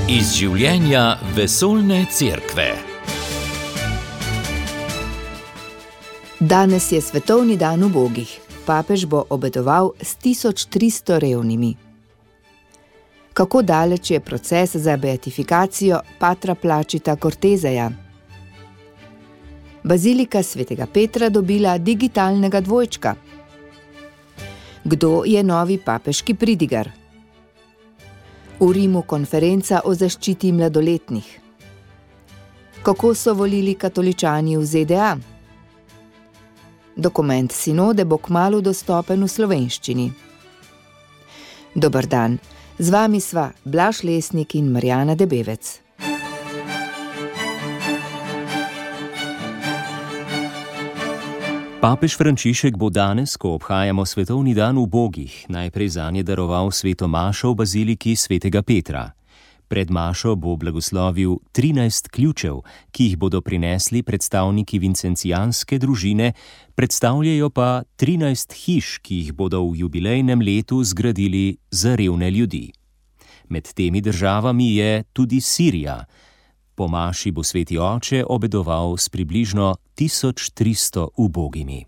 Iz življenja vesoljne cerkve. Danes je svetovni dan ubogih. Papež bo obedoval s 1300 revnimi. Kako daleč je proces za beatifikacijo patra Plačita Corteseja? Bazilika svetega Petra dobila digitalnega dvojčka. Kdo je novi papeški pridigar? V Rimu konferenca o zaščiti mladoletnih. Kako so volili katoličani v ZDA? Dokument sinode bo kmalu dostopen v slovenščini. Dober dan, z vami sva Blaž Lesnik in Marjana Debevec. Papež Frančišek bo danes, ko obhajamo svetovni dan ubogih, najprej zanje daroval sveto mašo v baziliki svetega Petra. Pred mašo bo blagoslovil 13 ključev, ki jih bodo prinesli predstavniki vincencijanske družine, predstavljajo pa 13 hiš, ki jih bodo v jubilejnem letu zgradili za revne ljudi. Med temi državami je tudi Sirija. Po maši bo sveti oče obedoval s približno 1300 ubogimi.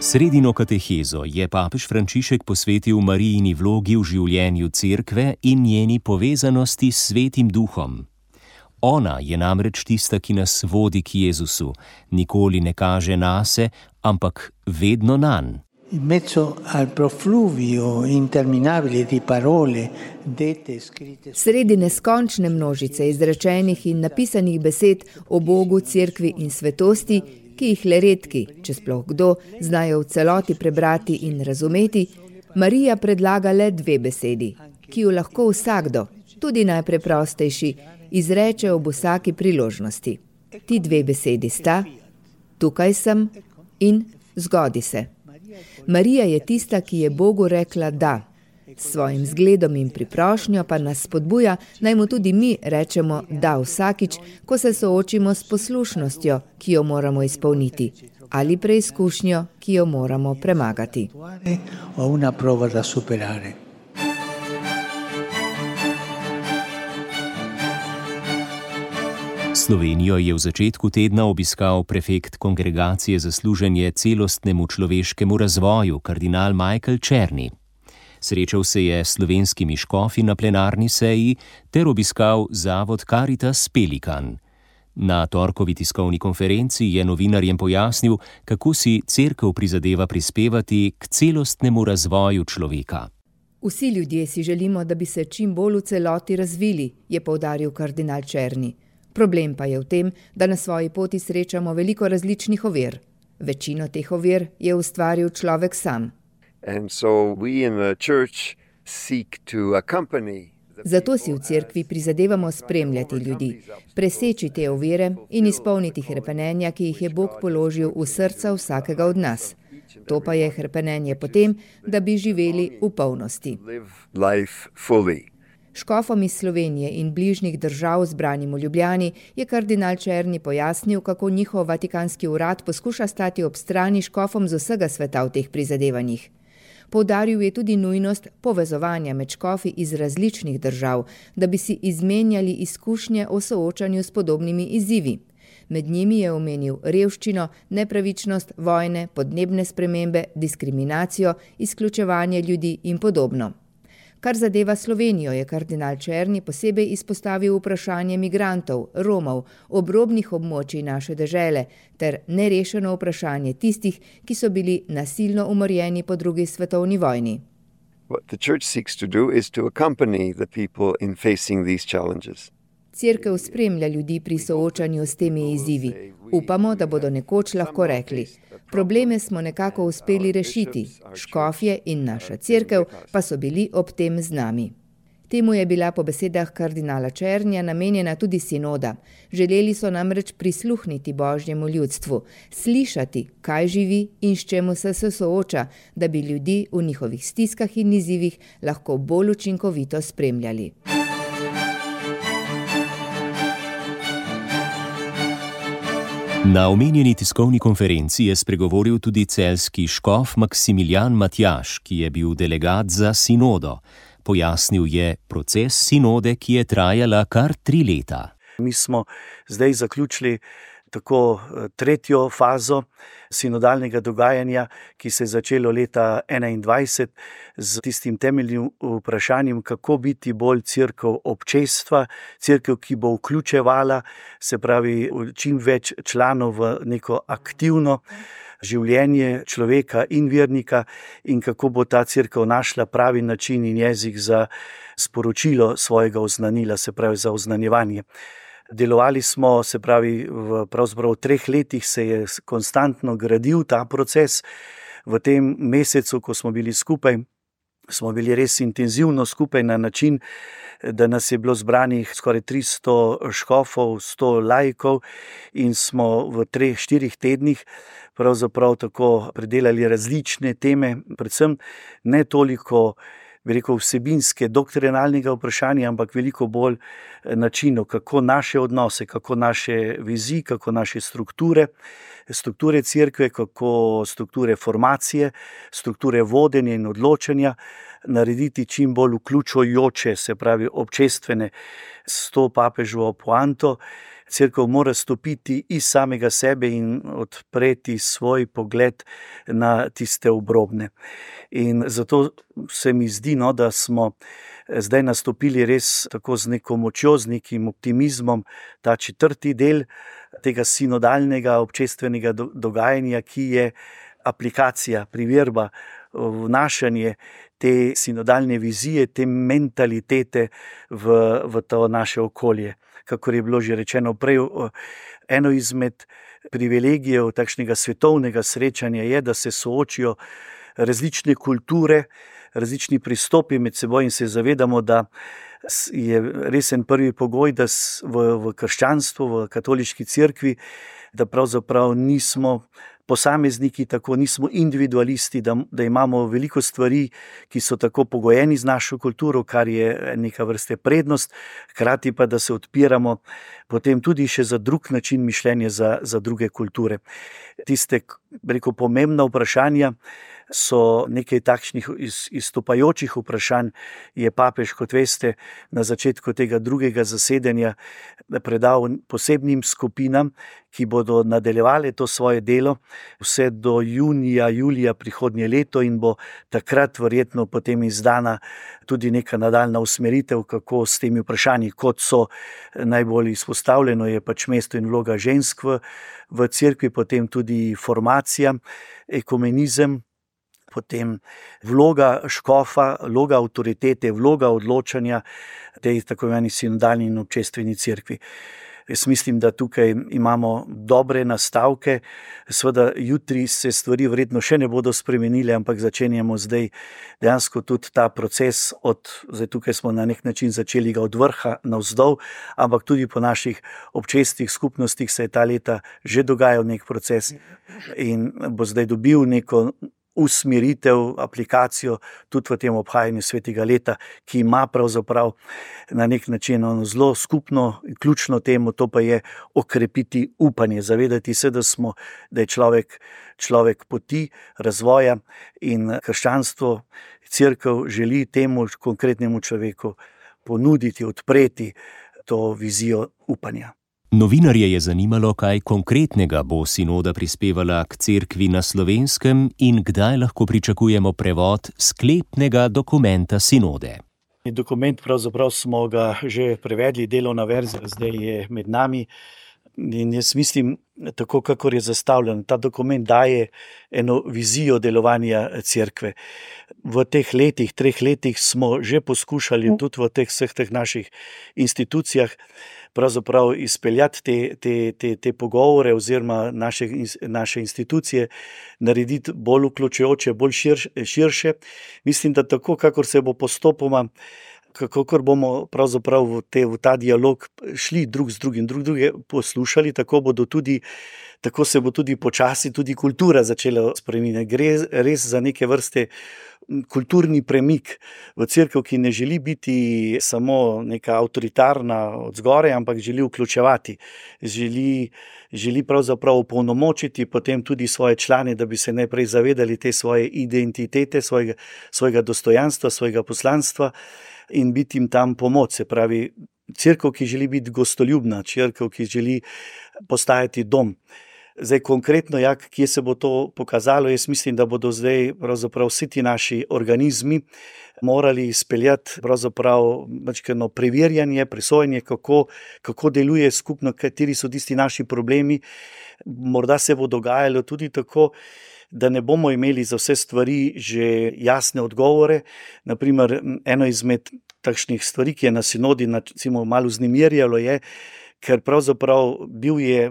Sredino katehezo je papež Frančišek posvetil Marijini vlogi v življenju cerkve in njeni povezanosti s Svetim Duhom. Ona je namreč tista, ki nas vodi k Jezusu, nikoli ne kaže nase, ampak vedno nanj. In mezzo al profluvio interminabile di parole dette scritte. Sredi neskončne množice izrečenih in napisanih besed o Bogu, cerkvi in svetosti, ki jih le redki, če sploh kdo, znajo v celoti prebrati in razumeti, Marija predlaga le 2 besedi, ki jo lahko vsakdo, tudi najpreprostejši, izreče ob vsaki priložnosti. Ti 2 besedi sta: tukaj sem in zgodi se. Marija je tista, ki je Bogu rekla da. S svojim zgledom in priprošnjo pa nas spodbuja, naj mu tudi mi rečemo da vsakič, ko se soočimo s poslušnostjo, ki jo moramo izpolniti, ali preizkušnjo, ki jo moramo premagati. Slovenijo je v začetku tedna obiskal prefekt Kongregacije za služenje celostnemu človeškemu razvoju, kardinal Michael Czerny. Srečal se je s slovenskimi škofi na plenarni seji ter obiskal zavod Caritas Pelikan. Na torkovi tiskovni konferenci je novinarjem pojasnil, kako si cerkev prizadeva prispevati k celostnemu razvoju človeka. Vsi ljudje si želimo, da bi se čim bolj v celoti razvili, je poudaril kardinal Czerny. Problem pa je v tem, da na svoji poti srečamo veliko različnih ovir. Večino teh ovir je ustvaril človek sam. Zato si v cerkvi prizadevamo spremljati ljudi, preseči te ovire in izpolniti hrepenenja, ki jih je Bog položil v srca vsakega od nas. To pa je hrepenenje potem, da bi živeli v polnosti. Škofom iz Slovenije in bližnjih držav zbranim v Ljubljani je kardinal Czerny pojasnil, kako njihov vatikanski urad poskuša stati ob strani škofom z vsega sveta v teh prizadevanjih. Poudaril je tudi nujnost povezovanja med škofi iz različnih držav, da bi si izmenjali izkušnje o soočanju s podobnimi izzivi. Med njimi je omenil revščino, nepravičnost, vojne, podnebne spremembe, diskriminacijo, izključevanje ljudi in podobno. Kar zadeva Slovenijo, je kardinal Czerny posebej izpostavil vprašanje migrantov, Romov, obrobnih območij naše dežele ter nerešeno vprašanje tistih, ki so bili nasilno umorjeni po 2. svetovni vojni. Cerkev spremlja ljudi pri soočanju s temi izzivi. Upamo, da bodo nekoč lahko rekli: probleme smo nekako uspeli rešiti, škofje in naša cerkev pa so bili ob tem z nami. Temu je bila po besedah kardinala Czernyja namenjena tudi sinoda. Želeli so namreč prisluhniti božjemu ljudstvu, slišati, kaj živi in s čemu se sooča, da bi ljudi v njihovih stiskah in izzivih lahko bolj učinkovito spremljali. Na omenjeni tiskovni konferenci je spregovoril tudi celjski škof Maksimilijan Matjaž, ki je bil delegat za sinodo. Pojasnil je proces sinode, ki je trajala kar 3 leta. Mi smo zdaj zaključili tako tretjo fazo sinodalnega dogajanja, ki se je začelo leta 2021 z tistim temeljnim vprašanjem, kako biti bolj cerkev občestva, cerkev, ki bo vključevala, se pravi, čim več članov v neko aktivno življenje človeka in vernika in kako bo ta cerkev našla pravi način in jezik za sporočilo svojega oznanila, se pravi za oznanjevanje. Delovali smo, se pravi, pravzaprav v 3 letih se je konstantno gradil ta proces. V tem mesecu, ko smo bili skupaj, smo bili res intenzivno skupaj na način, da nas je bilo zbranih skoraj 300 škofov, 100 laikov in smo v 3-4 tednih pravzaprav tako predelali različne teme, predvsem ne toliko vsebinske, doktrinalnega vprašanja, ampak veliko bolj načinov, kako naše odnose, kako naše vizije, kako naše strukture cerkve, kako strukture formacije, strukture vodenja in odločanja narediti čim bolj vključujoče, se pravi občestvene, s to papeževo poanto. Cerkev mora stopiti iz samega sebe in odpreti svoj pogled na tiste obrobne. In zato se mi zdi, da smo zdaj nastopili res tako z neko močjo, z nekim optimizmom, ta 4. del tega sinodalnega občestvenega dogajanja, ki je aplikacija, priverba, vnašanje te sinodalne vizije, te mentalitete v to naše okolje. Kakor je bilo že rečeno prej, eno izmed privilegijev takšnega svetovnega srečanja je, da se soočijo različne kulture, različni pristopi med seboj in se zavedamo, da je resen prvi pogoj, da v krščanstvu, v katoliški cerkvi, da pravzaprav nismo posamezniki, tako nismo individualisti, da imamo veliko stvari, ki so tako pogojeni z našo kulturo, kar je neka vrste prednost, hkrati pa, da se odpiramo potem tudi še za drug način mišljenja za druge kulture. Tiste, pomembna vprašanja so nekaj takšnih izstopajočih vprašanj, je papež, kot veste, na začetku tega 2. zasedanja predal posebnim skupinam, ki bodo nadaljevale to svoje delo vse do junija, julija prihodnje leto in bo takrat verjetno potem izdana tudi neka nadaljna usmeritev, kako s temi vprašanji, kot so najbolj izpostavljeno, je pač mesto in vloga žensk v cerkvi, potem tudi formacija, ekumenizem, potem vloga škofa, vloga avtoritete, vloga odločanja tej tako imenovani sinodalni in občestveni cerkvi. Jaz mislim, da tukaj imamo dobre nastavke, seveda jutri se stvari verjetno še ne bodo spremenile, ampak začenjamo zdaj dejansko tudi ta proces, zdaj tukaj smo na nek način začeli ga od vrha navzdol, ampak tudi po naših občestnih skupnostih se je ta leta že dogajal nek proces in bo zdaj dobil neko usmeritev, aplikacijo tudi v tem obhajanju svetega leta, ki ima pravzaprav na nek način zelo skupno in ključno temo, to pa je okrepiti upanje, zavedati se, da je človek poti razvoja in krščanstvo, cerkev želi temu konkretnemu človeku ponuditi, odpreti to vizijo upanja. Novinarje je zanimalo, kaj konkretnega bo sinoda prispevala k cerkvi na Slovenskem in kdaj lahko pričakujemo prevod sklepnega dokumenta sinode. Dokument pravzaprav smo ga že prevedli, delovna verzija zdaj je med nami in jaz mislim, tako kakor je zastavljen, ta dokument daje eno vizijo delovanja cerkve. V teh 3 letih smo že poskušali tudi v vseh teh naših institucijah pravzaprav izpeljati te pogovore oziroma naše institucije narediti bolj vključujoče, bolj širše. Mislim, da tako, kakor se bo postopoma, kakor bomo pravzaprav v ta dialog šli drug z drugim, druge poslušali, tako se bo tudi počasi tudi kultura začela spreminjati. Gre res za neke vrste kulturni premik v cerkev, ki ne želi biti samo neka avtoritarna od zgoraj, ampak želi vključevati, želi pravzaprav opolnomočiti potem tudi svoje člane, da bi se najprej zavedali te svoje identitete, svojega dostojanstva, svojega poslanstva in biti jim tam pomoč. Se pravi, cerkev, ki želi biti gostoljubna, cerkev, ki želi postajati dom. Zdaj konkretno, kje se bo to pokazalo, jaz mislim, da bodo zdaj pravzaprav vsi ti naši organizmi morali izpeljati pravzaprav preverjanje, presojanje, kako deluje skupno, kateri so tisti naši problemi. Morda se bo dogajalo tudi tako, da ne bomo imeli za vse stvari že jasne odgovore. Naprimer, eno izmed takšnih stvari, ki je na sinodi malo vznemirjalo, je, ker pravzaprav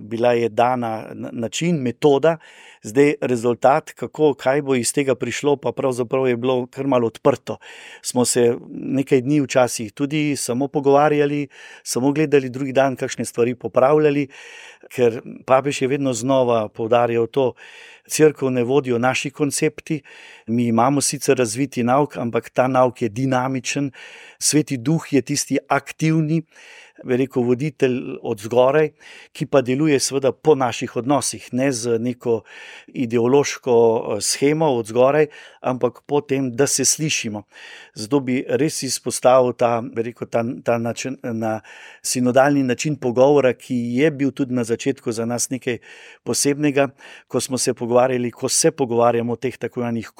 bila je dana način, metoda, zdaj rezultat, kaj bo iz tega prišlo, pa pravzaprav je bilo kar malo odprto. Smo se nekaj dni včasih tudi samo pogovarjali, samo gledali, drugi dan kakšne stvari popravljali, ker papež je vedno znova poudarjal to, cerkev ne vodijo naši koncepti, mi imamo sicer razviti nauk, ampak ta nauk je dinamičen, Sveti Duh je tisti aktivni, voditelj od zgoraj, ki pa deluje seveda po naših odnosih, ne z neko ideološko shemo od zgoraj, ampak po tem, da se slišimo. Zato bi res izpostavil ta način, sinodalni način pogovora, ki je bil tudi na začetku za nas nekaj posebnega, ko se pogovarjamo o teh tako imenih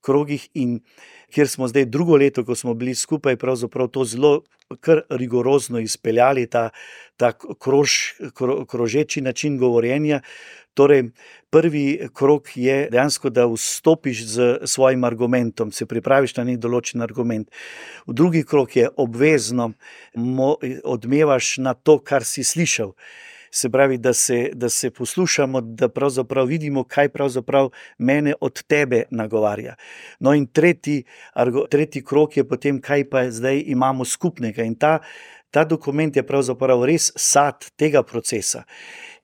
krogih in kjer smo zdaj drugo leto, ko smo bili skupaj, pravzaprav to zelo kar rigorozno izpeljali, ta krožeči način govorjenja. Torej, prvi krog je dejansko, da vstopiš z svojim argumentom, se pripraviš na nek določen argument. V drugi krog je obvezno, odmevaš na to, kar si slišal. Se pravi, da se poslušamo, da pravzaprav vidimo, kaj pravzaprav mene od tebe nagovarja. No in tretji krog je potem, kaj pa zdaj imamo skupnega. In ta dokument je pravzaprav res sad tega procesa.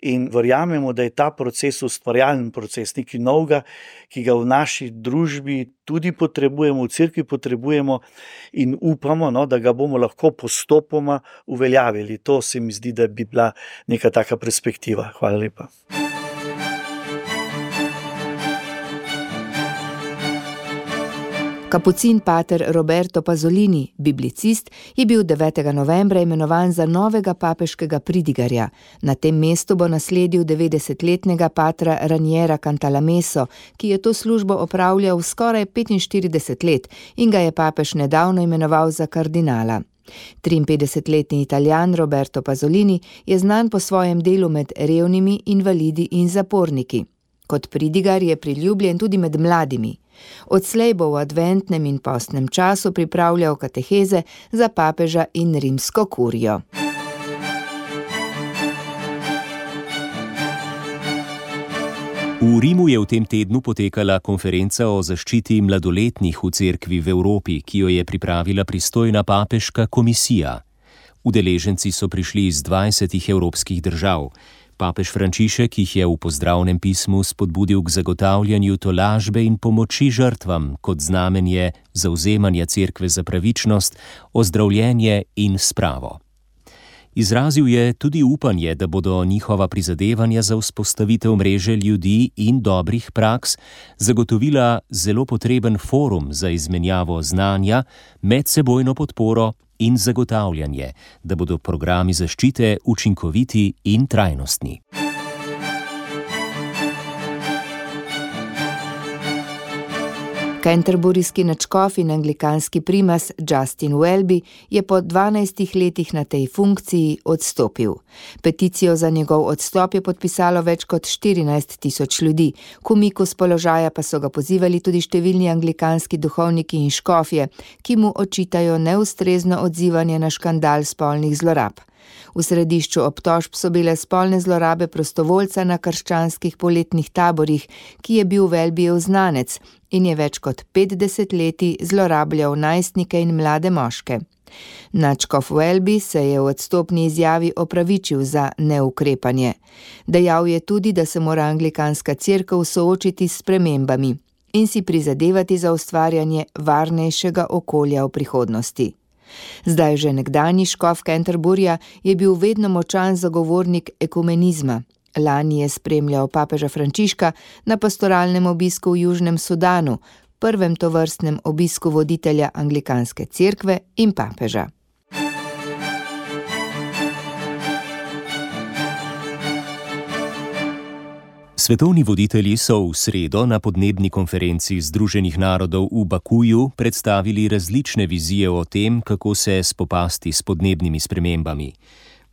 In verjamemo, da je ta proces ustvarjalen proces, nekaj novega, ki ga v naši družbi tudi potrebujemo, v cerkvi potrebujemo in upamo, da ga bomo lahko postopoma uveljavili. To se mi zdi, da bi bila neka taka perspektiva. Hvala lepa. Kapucin pater Roberto Pasolini, biblicist, je bil 9. novembra imenovan za novega papeškega pridigarja. Na tem mestu bo nasledil 90-letnega patra Raniera Cantalameso, ki je to službo opravljal skoraj 45 let in ga je papež nedavno imenoval za kardinala. 53-letni Italijan Roberto Pasolini je znan po svojem delu med revnimi, invalidi in zaporniki. Kot pridigar je priljubljen tudi med mladimi. Odslej bo v adventnem in postnem času pripravljal kateheze za papeža in rimsko kurijo. V Rimu je v tem tednu potekala konferenca o zaščiti mladoletnih v cerkvi v Evropi, ki jo je pripravila pristojna papeška komisija. Udeleženci so prišli iz 20 evropskih držav. Papež Frančišek jih je v pozdravnem pismu spodbudil k zagotavljanju tolažbe in pomoči žrtvam kot znamenje zavzemanja cerkve za pravičnost, ozdravljenje in spravo. Izrazil je tudi upanje, da bodo njihova prizadevanja za vzpostavitev mreže ljudi in dobrih praks zagotovila zelo potreben forum za izmenjavo znanja, medsebojno podporo in zagotavljanje, da bodo programi zaščite učinkoviti in trajnostni. Canterburyski nadškof in anglikanski primas Justin Welby je po 12 letih na tej funkciji odstopil. Peticijo za njegov odstop je podpisalo več kot 14.000 ljudi, k umiku s položaja pa so ga pozivali tudi številni anglikanski duhovniki in škofje, ki mu očitajo neustrezno odzivanje na škandal spolnih zlorab. V središču obtožb so bile spolne zlorabe prostovoljca na krščanskih poletnih taborih, ki je bil Welbyjev znanec in je več kot 50 leti zlorabljal najstnike in mlade moške. Nadškof Welby se je v odstopni izjavi opravičil za neukrepanje. Dejal je tudi, da se mora anglikanska cerkev soočiti s spremembami. in si prizadevati za ustvarjanje varnejšega okolja v prihodnosti. Zdaj že nekdanji škof Canterburyja je bil vedno močan zagovornik ekumenizma. Lani je spremljal papeža Frančiška na pastoralnem obisku v Južnem Sudanu, prvem tovrstnem obisku voditelja anglikanske cerkve in papeža. Svetovni voditelji so v sredo na podnebni konferenci Združenih narodov v Bakuju predstavili različne vizije o tem, kako se spopasti s podnebnimi spremembami.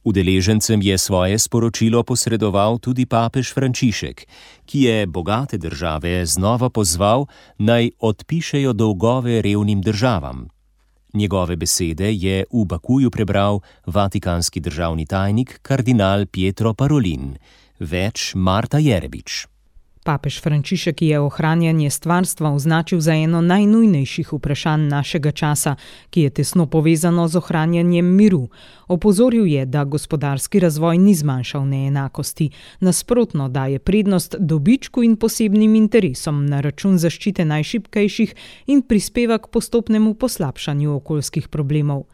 Udeležencem je svoje sporočilo posredoval tudi papež Frančišek, ki je bogate države znova pozval, naj odpišejo dolgove revnim državam. Njegove besede je v Bakuju prebral vatikanski državni tajnik kardinal Pietro Parolin. Več Marta Jerebič. Papež Frančišek je ohranjanje stvarstva označil za eno najnujnejših vprašanj našega časa, ki je tesno povezano z ohranjanjem miru. Opozoril je, da gospodarski razvoj ni zmanjšal neenakosti, nasprotno daje prednost dobičku in posebnim interesom na račun zaščite najšibkejših in prispeva k postopnemu poslabšanju okoljskih problemov.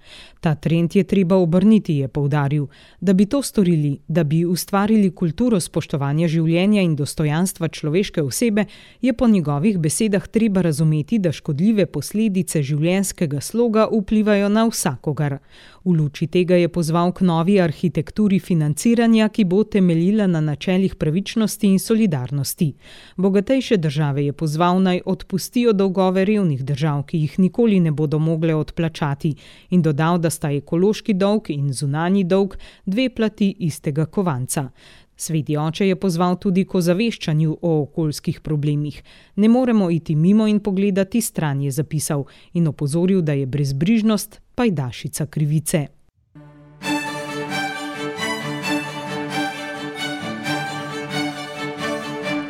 Ta trend je treba obrniti, je poudaril. Da bi to storili, da bi ustvarili kulturo spoštovanja življenja in dostojanstva človeške osebe, je po njegovih besedah treba razumeti, da škodljive posledice življenjskega sloga vplivajo na vsakogar. V luči tega je pozval k novi arhitekturi financiranja, ki bo temeljila na načelih pravičnosti in solidarnosti. Bogatejše države je pozval, naj odpustijo dolgove revnih držav, ki jih nikoli ne bodo mogle odplačati, in dodal, da sta ekološki dolg in zunanji dolg dve plati istega kovanca. Sveti oče je pozval tudi k ozaveščanju o okoljskih problemih. Ne moremo iti mimo in pogledati stran, je zapisal in opozoril, da je brezbrižnost pajdašica krivice.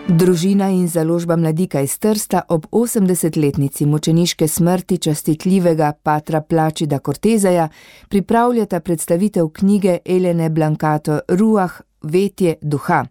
Družina in založba Mladika iz Trsta ob 80-letnici mučeniške smrti častitljivega patra Plačida Corteseja pripravljata predstavitev knjige Elene Blancato Ruah, Vetje duha.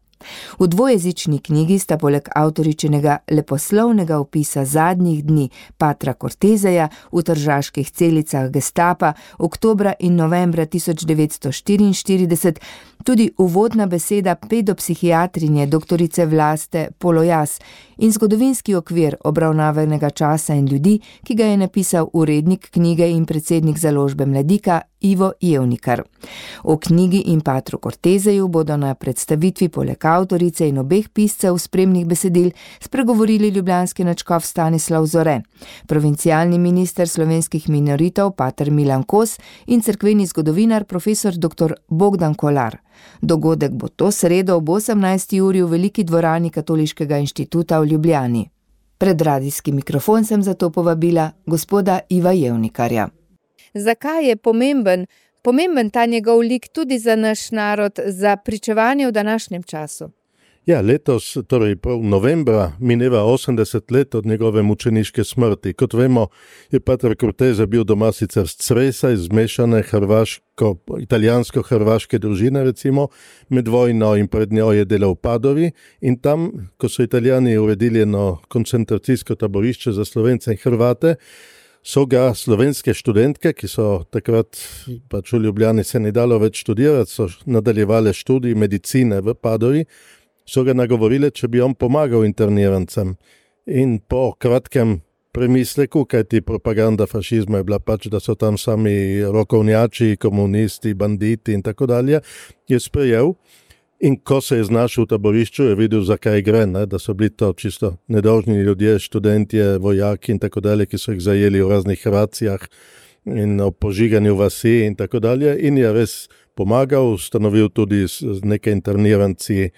V dvojezični knjigi sta poleg avtoričinega leposlovnega opisa zadnjih dni patra Corteseja v tržaških celicah gestapa oktobra in novembra 1944 tudi uvodna beseda pedopsihiatrinje doktorice Vlaste Polojas in zgodovinski okvir obravnavanega časa in ljudi, ki ga je napisal urednik knjige in predsednik založbe Mladika Ivo Jevnikar. O knjigi in patru Corteseju bodo na predstavitvi poleg avtorice in obeh piscev spremnih besedil spregovorili ljubljanski nadškof Stanislav Zore, provincialni minister slovenskih minoritov pater Milan Kos in cerkveni zgodovinar profesor dr. Bogdan Kolar. Dogodek bo to sredo ob 18. uri v veliki dvorani Katoliškega inštituta v Ljubljani. Pred radijski mikrofon sem zato povabila gospoda Iva Jevnikarja. Zakaj je pomemben ta njegov lik tudi za naš narod, za pričevanje v današnjem času? Ja, letos, torej prav novembra, mineva 80 let od njegove mučeniške smrti. Kot vemo, je pater Cortese bil doma sicer z Cresa, iz zmešane italijansko-hrvaške družine, recimo, med vojno in pred njo je delal v Padovi in tam, ko so Italijani uredili eno koncentracijsko taborišče za Slovence in Hrvate, so ga slovenske študentke, ki so takrat pač v Ljubljani se ni dalo več študirati, so nadaljevale študij medicine v Padovi, so ga nagovorili, če bi on pomagal internirancem. In po kratkem premisleku, kajti propaganda fašizma je bila pač, da so tam sami rokovnjači, komunisti, banditi in tako dalje, je sprejel. In ko se je znašel v taborišču, je videl, zakaj gre, da so bili to čisto nedolžni ljudje, študentje, vojaki in tako dalje, ki so jih zajeli v raznih racijah in o požiganju vasi in tako dalje. In je res pomagal, ustanovil tudi z nekaj interniranci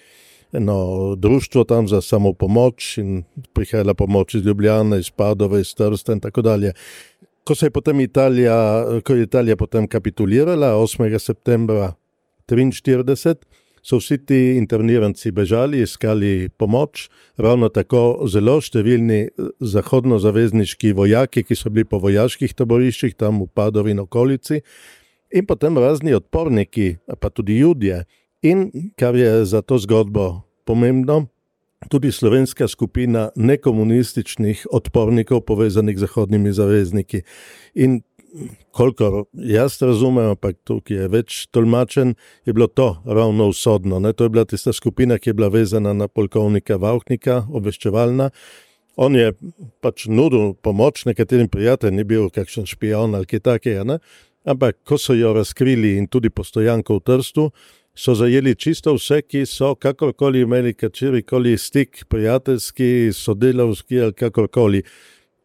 eno društvo tam za samopomoč in prihajala pomoč iz Ljubljane, iz Padove, iz Trsta in tako dalje. Ko je Italija potem kapitulirala 8. septembra 1943, so vsi ti interniranci bežali, iskali pomoč, ravno tako zelo številni zahodnozavezniški vojaki, ki so bili po vojaških taboriščih tam v Padovi in okolici, in potem razni odporniki, pa tudi Judje. In kar je za to zgodbo pomembno, tudi slovenska skupina nekomunističnih odpornikov povezanih z zahodnimi zavezniki. In kolikor jaz razumem, ampak tukaj je več tolmačen, je bilo to ravno usodno. To je bila tista skupina, ki je bila vezana na polkovnika Vauchnika, obveščevalna. On je pač nudil pomoč nekaterim prijateljem, ni bil kakšen špion ali kaj takega, ampak ko so jo razkrili in tudi postojanko v Trstu, so zajeli čisto vse, ki so kakorkoli imeli katerikoli stik, prijateljski, sodelavski ali kakorkoli.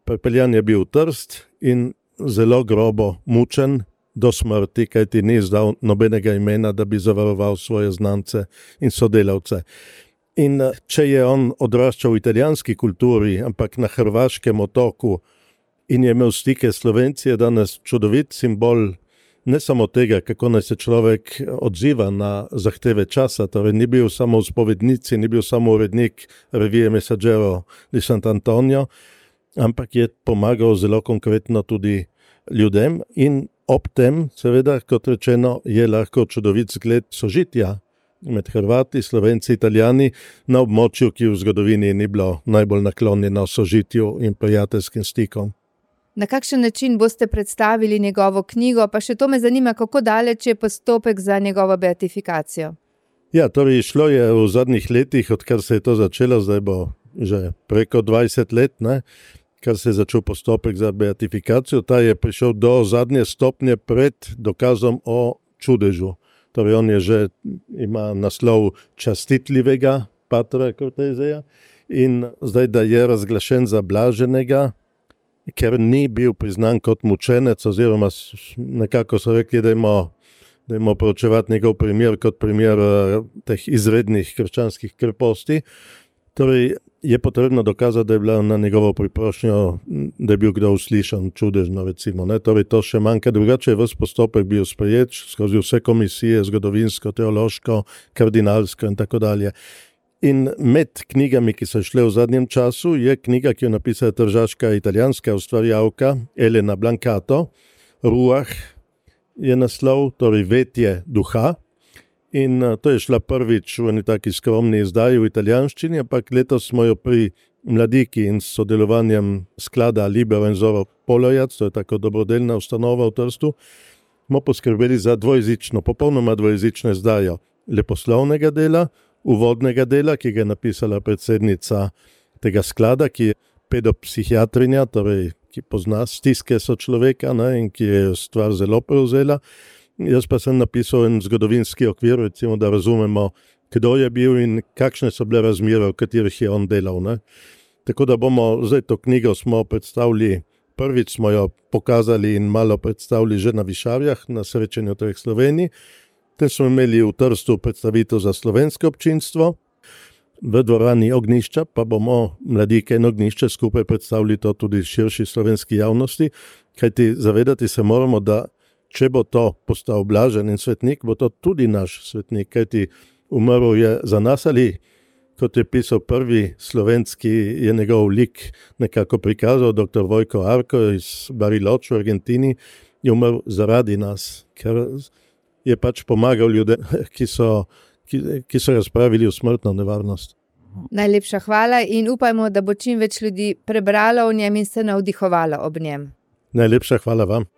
Pripeljan je bil v Trst in zelo grobo mučen do smrti, kajti ni izdal nobenega imena, da bi zavaroval svoje znance in sodelavce. In če je on odraščal v italijanski kulturi, ampak na hrvaškem otoku in je imel stike s Slovenci, je danes čudovit simbol ne samo tega, kako naj se človek odziva na zahteve časa, torej ni bil samo v spovednici, ni bil samo urednik revije Messaggero di Sant'Antonio, ampak je pomagal zelo konkretno tudi ljudem in ob tem, seveda, kot rečeno, je lahko čudovit zgled sožitja med Hrvati, Slovenci, Italijani na območju, ki v zgodovini ni bilo najbolj naklonjeno sožitju in prijateljskim stikom. Na kakšen način boste predstavili njegovo knjigo, pa še to me zanima, kako daleč je postopek za njegovo beatifikacijo? Ja, torej šlo je v zadnjih letih, odkar se je to začelo, zdaj bo že preko 20 let, kar se je začel postopek za beatifikacijo. Ta je prišel do zadnje stopnje pred dokazom o čudežu. Torej on je že ima naslov častitljivega patra Corteseja in zdaj, da je razglašen za blaženega, ker ni bil priznan kot mučenec, oziroma nekako so rekli, da imamo proučevati njegov primer kot primer teh izrednih krščanskih kreposti. Torej je potrebno dokazati, da je bila na njegovo priprošnjo, da je bil kdo uslišan čudežno, recimo. Torej to še manjka, drugače je ves postopek bil sprejet skozi vse komisije, zgodovinsko, teološko, kardinalsko in tako dalje. In med knjigami, ki so šle v zadnjem času, je knjiga, ki jo napisala tržaška italijanska ustvarjalka Elena Blancato, Ruah je naslov, torej vetje duha. In to je šla prvič v eni taki skromni izdaji v italijanščini, ampak letos smo jo pri Mladiki in s sodelovanjem sklada Libero in Zoro Polojac, to je tako dobrodelna ustanova v Trstu, smo poskrbeli za dvojezično, popolnoma dvojezično izdajo leposlovnega dela, uvodnega dela, ki ga je napisala predsednica tega sklada, ki je pedopsihiatrinja, torej ki pozna stiske sočloveka in ki je stvar zelo prevzela. Jaz pa sem napisal en zgodovinski okvir, recimo, da razumemo, kdo je bil in kakšne so bile razmere, v katerih je on delal. Tako da bomo zdaj to knjigo smo predstavili, prvič smo jo pokazali in malo predstavili že na Višavjah, na srečanju treh Slovenij. Tem smo imeli v Trstu predstavitev za slovensko občinstvo, v dvorani Ognjišča pa bomo Mladike in Ognjišče skupaj predstavili to tudi širši slovenski javnosti, kajti zavedati se moramo, da če bo to postal blažen in svetnik, bo to tudi naš svetnik, kajti umrl je za nas ali, kot je pisal prvi slovenski, je njegov lik nekako prikazal, dr. Vojko Arko iz Bariloche v Argentini, je umrl zaradi nas, ker je pač pomagal ljudem, ki so razpravili v smrtno nevarnost. Najlepša hvala in upajmo, da bo čim več ljudi prebralo o njem in se navdihovalo ob njem. Najlepša hvala vam.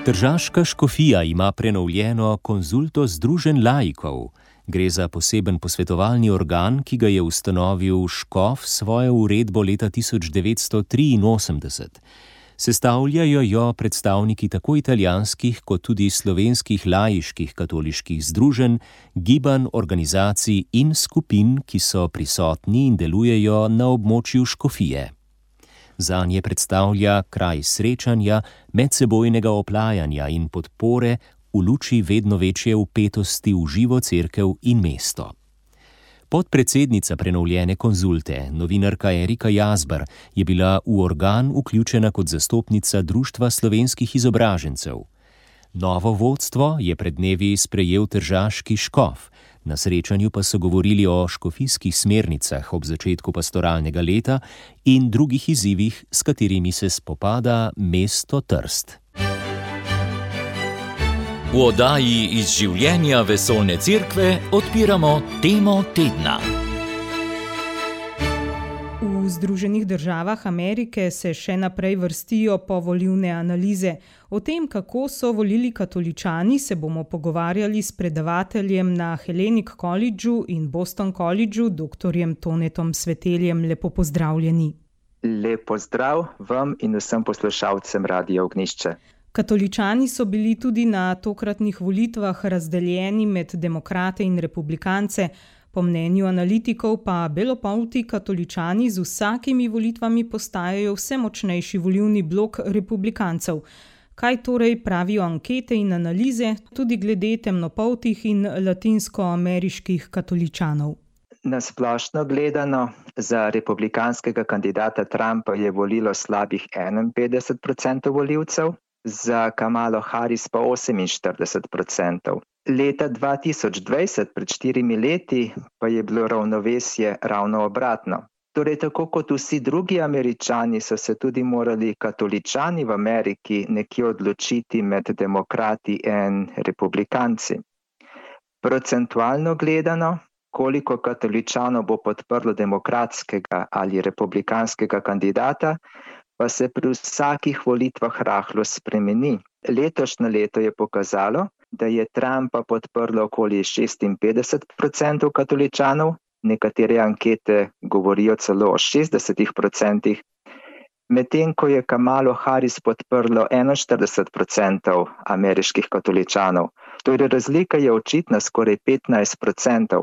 Tržaška škofija ima prenovljeno konzulto združenj laikov. Gre za poseben posvetovalni organ, ki ga je ustanovil škof s svojo uredbo leta 1983. Sestavljajo jo predstavniki tako italijanskih kot tudi slovenskih laiških katoliških združenj, gibanj, organizacij in skupin, ki so prisotni in delujejo na območju škofije. Zanje predstavlja kraj srečanja, medsebojnega oplajanja in podpore v luči vedno večje vpetosti v živo cerkev in mesto. Podpredsednica prenovljene konzulte, novinarka Erika Jazbar, je bila v organ vključena kot zastopnica Društva slovenskih izobražencev. Novo vodstvo je pred dnevi sprejel tržaški škof, na srečanju pa so govorili o škofijskih smernicah ob začetku pastoralnega leta in drugih izzivih, s katerimi se spopada mesto Trst. V oddaji iz življenja vesoljne cerkve odpiramo temo tedna. V Združenih državah Amerike se še naprej vrstijo povolilne analize. O tem, kako so volili katoličani, se bomo pogovarjali s predavateljem na Hellenic Collegeu in Boston Collegeu, dr. Tonetom Sveteljem. Lepo pozdravljeni. Lep pozdrav vam in vsem poslušalcem Radia Ognjišče. Katoličani so bili tudi na tokratnih volitvah razdeljeni med demokrate in republikance. Po mnenju analitikov pa belopolti katoličani z vsakimi volitvami postajajo vse močnejši volilni blok republikancev. Kaj torej pravijo ankete in analize tudi glede temnopoltih in latinskoameriških katoličanov? Na splošno gledano, za republikanskega kandidata Trumpa je volilo slabih 51% volivcev, za Kamalo Harris pa 48%. Leta 2020, pred 4 leti, pa je bilo ravnovesje ravno obratno. Torej, tako kot vsi drugi Američani, so se tudi morali katoličani v Ameriki nekje odločiti med demokrati in republikanci. Procentualno gledano, koliko katoličanov bo podprlo demokratskega ali republikanskega kandidata, pa se pri vsakih volitvah rahlo spremeni. Letošnje leto je pokazalo, da je Trumpa podprlo okoli 56% katoličanov, nekatere ankete govorijo celo o 60%, medtem ko je Kamalo Harris podprlo 41% ameriških katoličanov. Torej razlika je očitna, skoraj 15%.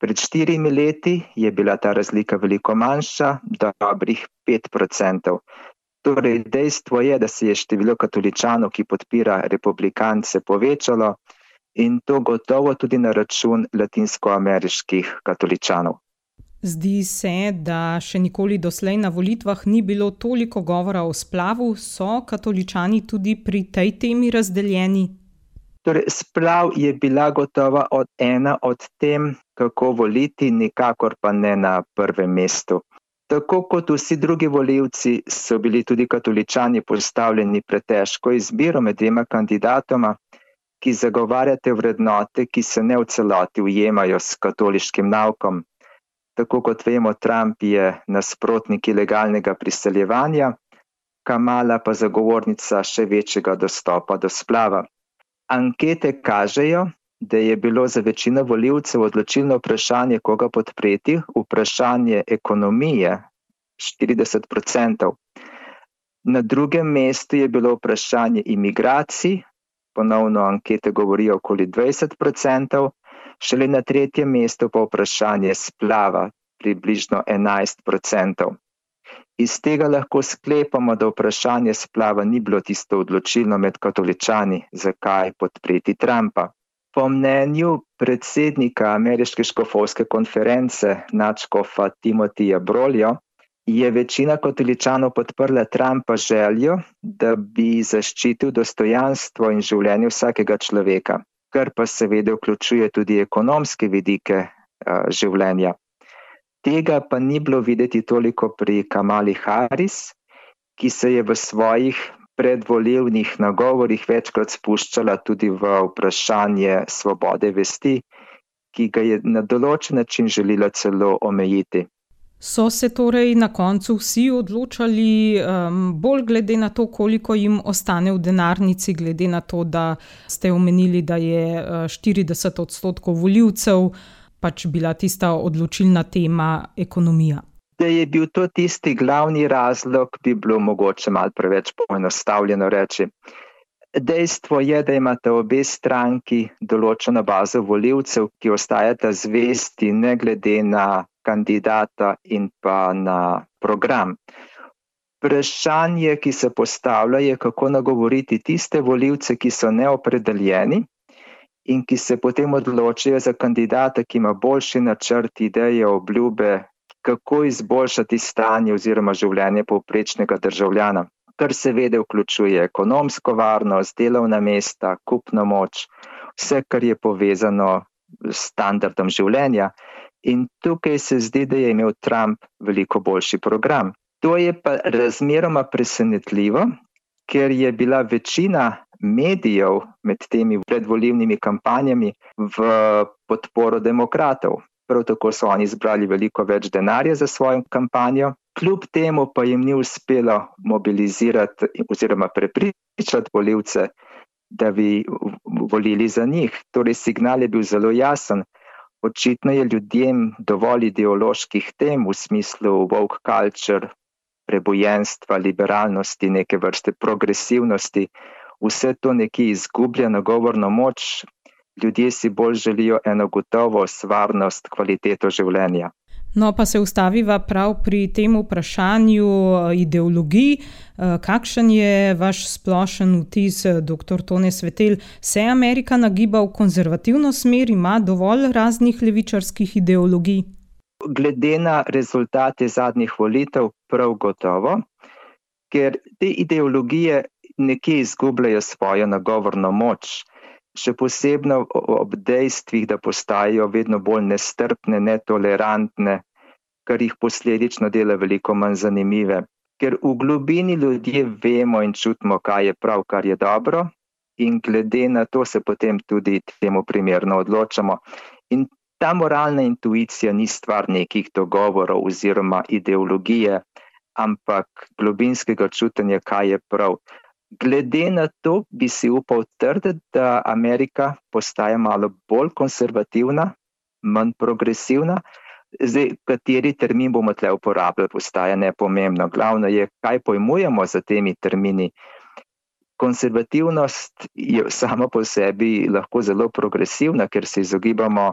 Pred 4 leti je bila ta razlika veliko manjša, dobrih 5%. Torej, dejstvo je, da se je število katoličanov, ki podpira republikance, povečalo in to gotovo tudi na račun latinskoameriških katoličanov. Zdi se, da še nikoli doslej na volitvah ni bilo toliko govora o splavu. So katoličani tudi pri tej temi razdeljeni? Torej, splav je bila gotovo ena od tem, kako voliti, nikakor pa ne na prvem mestu. Tako kot vsi drugi volivci so bili tudi katoličani postavljeni pred težko izbiro med dvema kandidatoma, ki zagovarjate vrednote, ki se ne v celoti ujemajo s katoliškim naukom. Tako kot vemo, Trump je nasprotnik ilegalnega priseljevanja, Kamala pa zagovornica še večjega dostopa do splava. Ankete kažejo, da je bilo za večino volivcev odločilno vprašanje, koga podpreti, vprašanje ekonomije, 40%. Na drugem mestu je bilo vprašanje imigracij, ponovno ankete govorijo okoli 20%, šele na tretjem mestu pa vprašanje splava, približno 11%. Iz tega lahko sklepamo, da vprašanje splava ni bilo tisto odločilno med katoličani, zakaj podpreti Trumpa. Po mnenju predsednika Ameriške škofovske konference, nadškofa Timothyja Brolija, je večina katoličanov podprla Trumpa željo, da bi zaščitil dostojanstvo in življenje vsakega človeka, kar pa seveda vključuje tudi ekonomske vidike življenja. Tega pa ni bilo videti toliko pri Kamali Harris, ki se je v svojih predvolilnih nagovorih večkrat spuščala tudi v vprašanje svobode vesti, ki ga je na določen način želela celo omejiti. So se torej na koncu vsi odločali bolj glede na to, koliko jim ostane v denarnici, glede na to, da ste omenili, da je 40% volivcev pač bila tista odločilna tema ekonomija? Da je bil to tisti glavni razlog, bi bilo mogoče malo preveč poenostavljeno reči. Dejstvo je, da imate obe stranki določeno bazo volivcev, ki ostajata zvesti ne glede na kandidata in pa na program. Vprašanje, ki se postavlja, je, kako nagovoriti tiste volivce, ki so neopredeljeni in ki se potem odločijo za kandidata, ki ima boljši načrt, ideje, obljube, kako izboljšati stanje oziroma življenje povprečnega državljana, kar seveda vključuje ekonomsko varnost, delovna mesta, kupno moč, vse, kar je povezano s standardom življenja. In tukaj se zdi, da je imel Trump veliko boljši program. To je pa razmeroma presenetljivo, ker je bila večina medijev med temi predvolilnimi kampanjami v podporo demokratov. Prav tako so oni zbrali veliko več denarja za svojo kampanjo. Kljub temu pa jim ni uspelo mobilizirati oziroma prepričati volivce, da bi volili za njih. Torej, signal je bil zelo jasen. Očitno je ljudem dovolj ideoloških tem v smislu woke culture, prebojenstva, liberalnosti, neke vrste progresivnosti. Vse to nekje izgublja nagovorno moč. Ljudje si bolj želijo eno gotovost, varnost, kvaliteto življenja. No, pa se ustaviva prav pri tem vprašanju ideologij. Kakšen je vaš splošen vtis, dr. Tone Svetelj? Se Amerika nagiba v konzervativno smer, ima dovolj raznih levičarskih ideologij? Glede na rezultate zadnjih volitev prav gotovo, ker te ideologije nekje izgubljajo svojo nagovorno moč, še posebno ob dejstvih, da postajajo vedno bolj nestrpne, netolerantne, kar jih posledično dela veliko manj zanimive. Ker v globini ljudje vemo in čutimo, kaj je prav, kar je dobro, in glede na to se potem tudi temu primerno odločamo. In ta moralna intuicija ni stvar nekih dogovorov oziroma ideologije, ampak globinskega čutenja, kaj je prav. Glede na to bi si upal trditi, da Amerika postaja malo bolj konservativna, manj progresivna. Zdaj, kateri termin bomo tle uporabljali, postaja nepomembno. Glavno je, kaj pojmujemo za temi termini. Konservativnost je sama po sebi lahko zelo progresivna, ker se izogibamo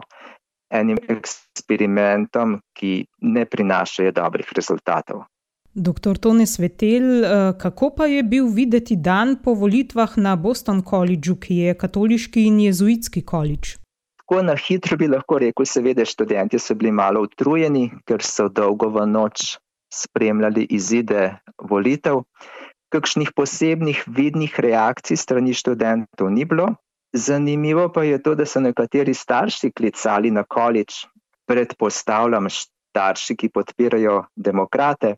enim eksperimentom, ki ne prinašajo dobrih rezultatov. Dr. Tone Svetelj, kako pa je bil videti dan po volitvah na Boston Collegeu, ki je katoliški in jezuitski koledž? Tako na hitro bi lahko rekel, seveda študenti so bili malo utrujeni, ker so dolgo v noč spremljali izide volitev. Kakšnih posebnih vidnih reakcij strani študentov ni bilo. Zanimivo pa je to, da so nekateri starši klicali na koledž, predpostavljam starši, ki podpirajo demokrate,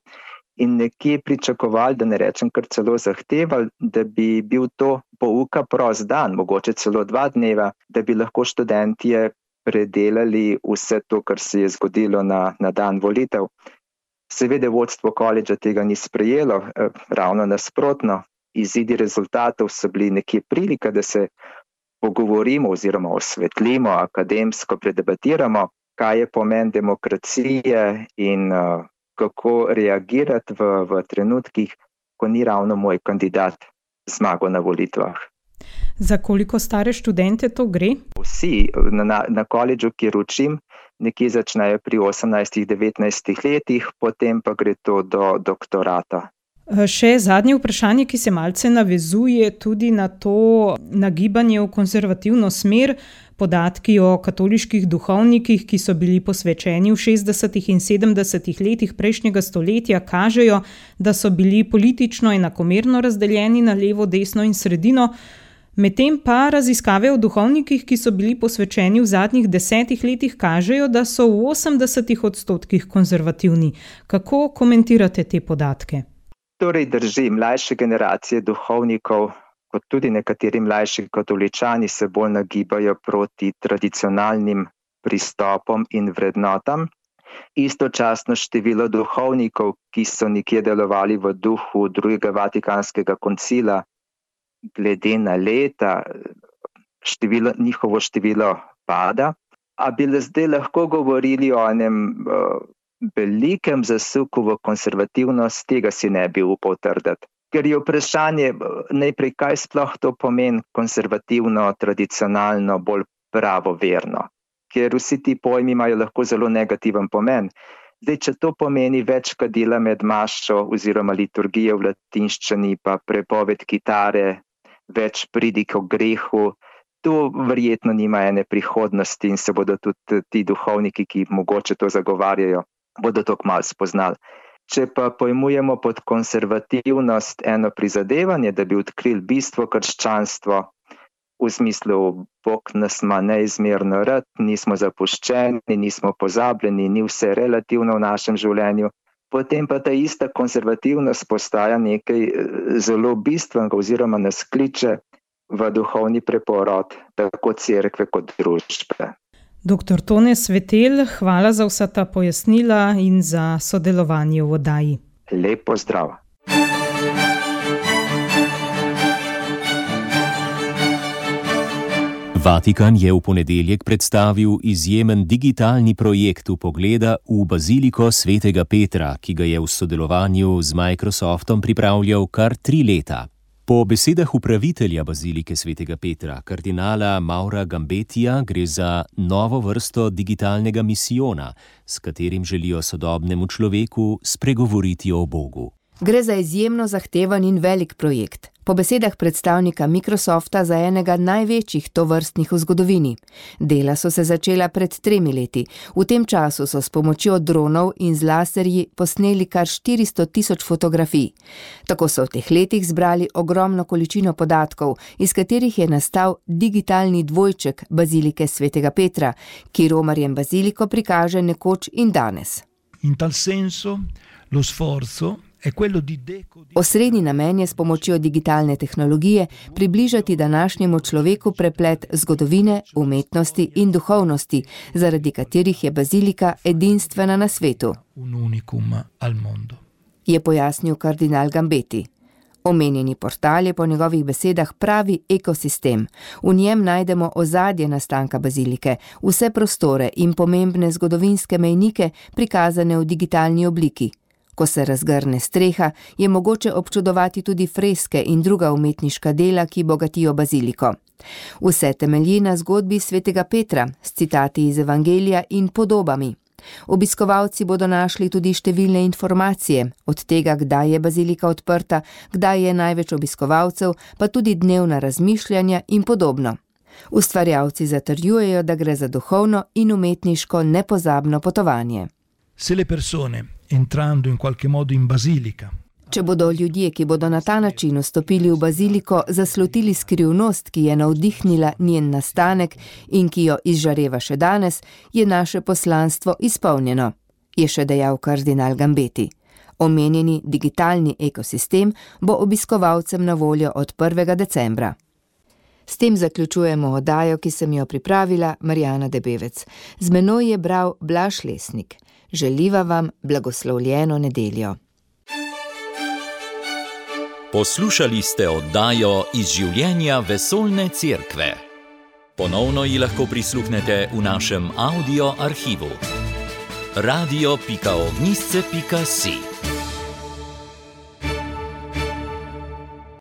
in nekje pričakovali, da ne rečem kar celo zahtevali, da bi bil to pouka prost dan, mogoče celo 2 dneva, da bi lahko študentje predelali vse to, kar se je zgodilo na dan volitev. Seveda vodstvo koledža tega ni sprejelo, ravno nasprotno. Izidi rezultatov so bili nekje prilika, da se pogovorimo oziroma osvetlimo, akademsko predebatiramo, kaj je pomen demokracije in kako reagirati v trenutkih, ko ni ravno moj kandidat zmagal na volitvah. Za koliko stare študente to gre? Vsi na koledžu, kjer učim, nekje začnejo pri 18-19 letih, potem pa gre to do doktorata. Še zadnje vprašanje, ki se malce navezuje tudi na to nagibanje v konzervativno smer. Podatki o katoliških duhovnikih, ki so bili posvečeni v 60. in 70. letih prejšnjega stoletja, kažejo, da so bili politično enakomerno razdeljeni na levo, desno in sredino. Medtem pa raziskave o duhovnikih, ki so bili posvečeni v zadnjih 10 letih, kažejo, da so v 80% konzervativni. Kako komentirate te podatke? Torej drži, mlajše generacije duhovnikov, kot tudi nekateri mlajši katoličani, se bolj nagibajo proti tradicionalnim pristopom in vrednotam. Istočasno število duhovnikov, ki so nekje delovali v duhu drugega Vatikanskega koncila, glede na leta, njihovo število pada. A bi zdaj lahko govorili o enem velikem zasuku v konservativnost, tega si ne bi upal trditi. Ker je vprašanje najprej, kaj sploh to pomeni konservativno, tradicionalno, bolj pravoverno. Ker vsi ti pojmi imajo lahko zelo negativen pomen. Zdaj, če to pomeni več kadila med mašo oziroma liturgijo v latinščini, pa prepoved kitare, več pridik o grehu, to verjetno nima ene prihodnosti in se bodo tudi ti duhovniki, ki mogoče to zagovarjajo, bodo to kmalu spoznali. Če pa pojmujemo pod konservativnost eno prizadevanje, da bi odkrili bistvo krščanstva, v smislu Bog nas ima neizmerno rad, nismo zapuščeni, nismo pozabljeni, ni vse relativno v našem življenju, potem pa ta ista konservativnost postaja nekaj zelo bistvenega oziroma nas kliče v duhovni preporod tako cerkve kot družbe. Dr. Tone Svetelj, hvala za vsa ta pojasnila in za sodelovanje v oddaji. Lep pozdrav. Vatikan je v ponedeljek predstavil izjemen digitalni projekt vpogleda v baziliko svetega Petra, ki ga je v sodelovanju z Microsoftom pripravljal kar 3 leta. Po besedah upravitelja bazilike svetega Petra, kardinala Maura Gambetija, gre za novo vrsto digitalnega misijona, s katerim želijo sodobnemu človeku spregovoriti o Bogu. Gre za izjemno zahteven in velik projekt. Po besedah predstavnika Microsofta za enega največjih tovrstnih v zgodovini. Dela so se začela pred 3 leti. V tem času so s pomočjo dronov in z laserji posneli kar 400 000 fotografij. Tako so v teh letih zbrali ogromno količino podatkov, iz katerih je nastal digitalni dvojček bazilike svetega Petra, ki romarjem baziliko prikaže nekoč in danes. In tal senso lo sforzo Osrednji namen je s pomočjo digitalne tehnologije približati današnjemu človeku preplet zgodovine, umetnosti in duhovnosti, zaradi katerih je bazilika edinstvena na svetu, je pojasnil kardinal Gambeti. Omenjeni portal je po njegovih besedah pravi ekosistem. V njem najdemo ozadje nastanka bazilike, vse prostore in pomembne zgodovinske mejnike prikazane v digitalni obliki. Ko se razgrne streha, je mogoče občudovati tudi freske in druga umetniška dela, ki bogatijo baziliko. Vse temelji na zgodbi svetega Petra, s citati iz Evangelija in podobami. Obiskovalci bodo našli tudi številne informacije, od tega, kdaj je bazilika odprta, kdaj je največ obiskovalcev, pa tudi dnevna razmišljanja in podobno. Ustvarjalci zatrjujejo, da gre za duhovno in umetniško nepozabno potovanje. Se le persone entrando in qualche modo in basilica. Če bodo ljudje, ki bodo na ta način vstopili v baziliko, zaslutili skrivnost, ki je navdihnila njen nastanek in ki jo izžareva še danes, je naše poslanstvo izpolnjeno, je še dejal kardinal Gambeti. Omenjeni digitalni ekosistem bo obiskovalcem na voljo od 1. decembra. S tem zaključujemo oddajo, ki sem jo pripravila, Marjana Debevec. Z menoj je bral Blaž Lesnik. Želiva vam blagoslovljeno nedeljo. Poslušali ste oddajo iz življenja vesoljne cerkve. Ponovno ji lahko prisluhnete v našem audio arhivu. radio.ognisce.si